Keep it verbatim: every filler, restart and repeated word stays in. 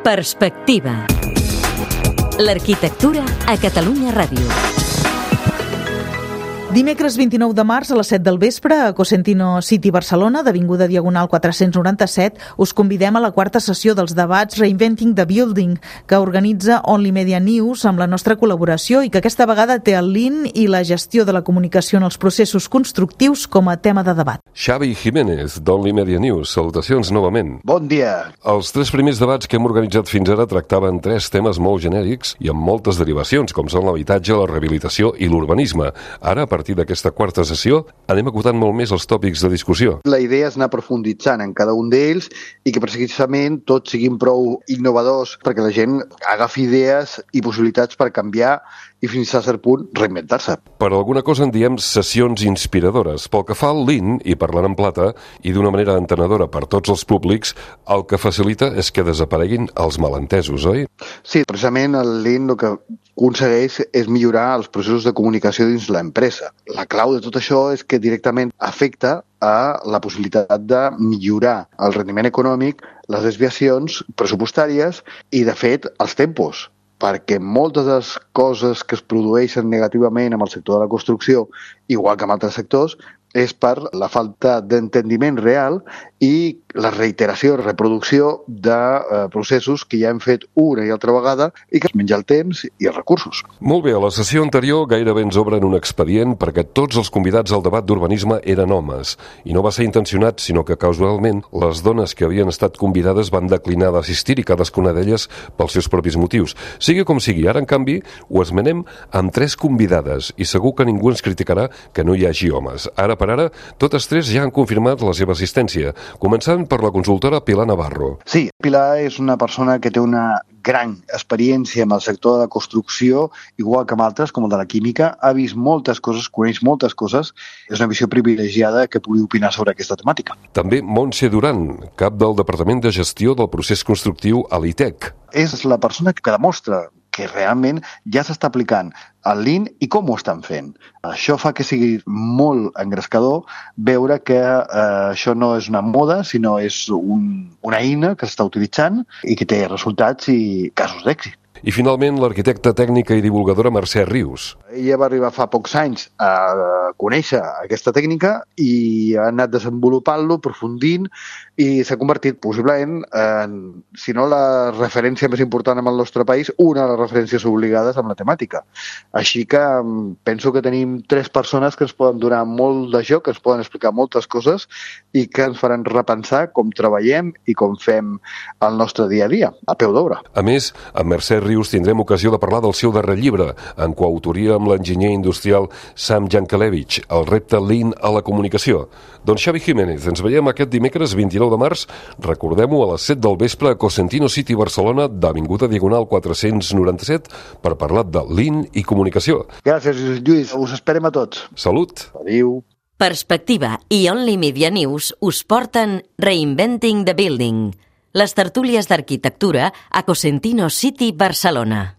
Perspectiva. L'arquitectura a Catalunya Ràdio. Dimecres vint-i-nou de març a les set del vespre a Cosentino City Barcelona, d'Avinguda Diagonal quatre-cents noranta-set, us convidem a la quarta sessió dels debats Reinventing the Building, que organitza Only Media News amb la nostra col·laboració i que aquesta vegada té el Lean i la gestió de la comunicació en els processos constructius com a tema de debat. Xavi Jiménez, d'Only Media News. Salutacions novament. Bon dia. Els tres primers debats que hem organitzat fins ara tractaven tres temes molt genèrics i amb moltes derivacions, com són l'habitatge, la rehabilitació i l'urbanisme. Ara, a partir d'aquesta quarta sessió, anem acotant molt més els tòpics de discussió. La idea és anar profunditzant en cada un d'ells i que precisament tots siguin prou innovadors perquè la gent agafi idees i possibilitats per canviar i fins a cert punt reinventar-se. Per alguna cosa en diem sessions inspiradores. Pel que fa al Lean, i parlant en plata, i d'una manera entenedora per tots els públics, el que facilita és que desapareguin els malentesos, oi? Sí, precisament el Lean el que aconsegueix és millorar els processos de comunicació dins l'empresa. La clau de tot això és que directament afecta a la possibilitat de millorar el rendiment econòmic, les desviacions pressupostàries i, de fet, els tempos. Perquè moltes de les coses que es produeixen negativament amb el sector de la construcció, igual que en altres sectors, és per la falta d'entendiment real i la reiteració i reproducció de eh, processos que ja hem fet una i altra vegada i que es menja el temps i els recursos. Molt bé, a la sessió anterior gairebé ens obren un expedient perquè tots els convidats al debat d'urbanisme eren homes. I no va ser intencionat, sinó que casualment les dones que havien estat convidades van declinar d'assistir i cadascuna d'elles pels seus propis motius. Sigui com sigui, ara en canvi ho esmenem amb tres convidades i segur que ningú ens criticarà que no hi hagi homes. Ara per ara, totes tres ja han confirmat la seva assistència, començant per la consultora Pilar Navarro. Sí, Pilar és una persona que té una gran experiència en el sector de la construcció, igual que amb altres, com el de la química, ha vist moltes coses, coneix moltes coses, és una visió privilegiada que pugui opinar sobre aquesta temàtica. També Montse Duran, cap del Departament de Gestió del Procés Constructiu a l'I T E C. És la persona que demostra que realment ja s'està aplicant el Lean i com ho estan fent. Això fa que sigui molt engrescador veure que eh, això no és una moda, sinó és un, una eina que s'està utilitzant i que té resultats i casos d'èxit. I finalment l'arquitecta tècnica i divulgadora Mercè Rius. Ella va arribar fa pocs anys a conèixer aquesta tècnica i ha anat desenvolupant-lo, aprofundint i s'ha convertit possiblement en, si no la referència més important en el nostre país, una de les referències obligades amb la temàtica. Així que penso que tenim tres persones que ens poden donar molt de joc, que ens poden explicar moltes coses i que ens faran repensar com treballem i com fem el nostre dia a dia, a peu d'obra. A més, amb Mercè Rius tindrem ocasió de parlar del seu darrer llibre, en coautoria amb l'enginyer industrial Sam Jankelevich, el repte Lean a la comunicació. Doncs Xavi Jiménez, ens veiem aquest dimecres vint-i-nou de març, recordem-ho, a les set del vespre a Cosentino City Barcelona, d'Avinguda Diagonal quatre-cents noranta-set, per parlar de Lean i comunicació. Gràcies, Lluís. Us esperem a tots. Salut. Adéu. Perspectiva i Only Media News us porten Reinventing the Building, les tertúlies d'arquitectura a Cosentino City Barcelona.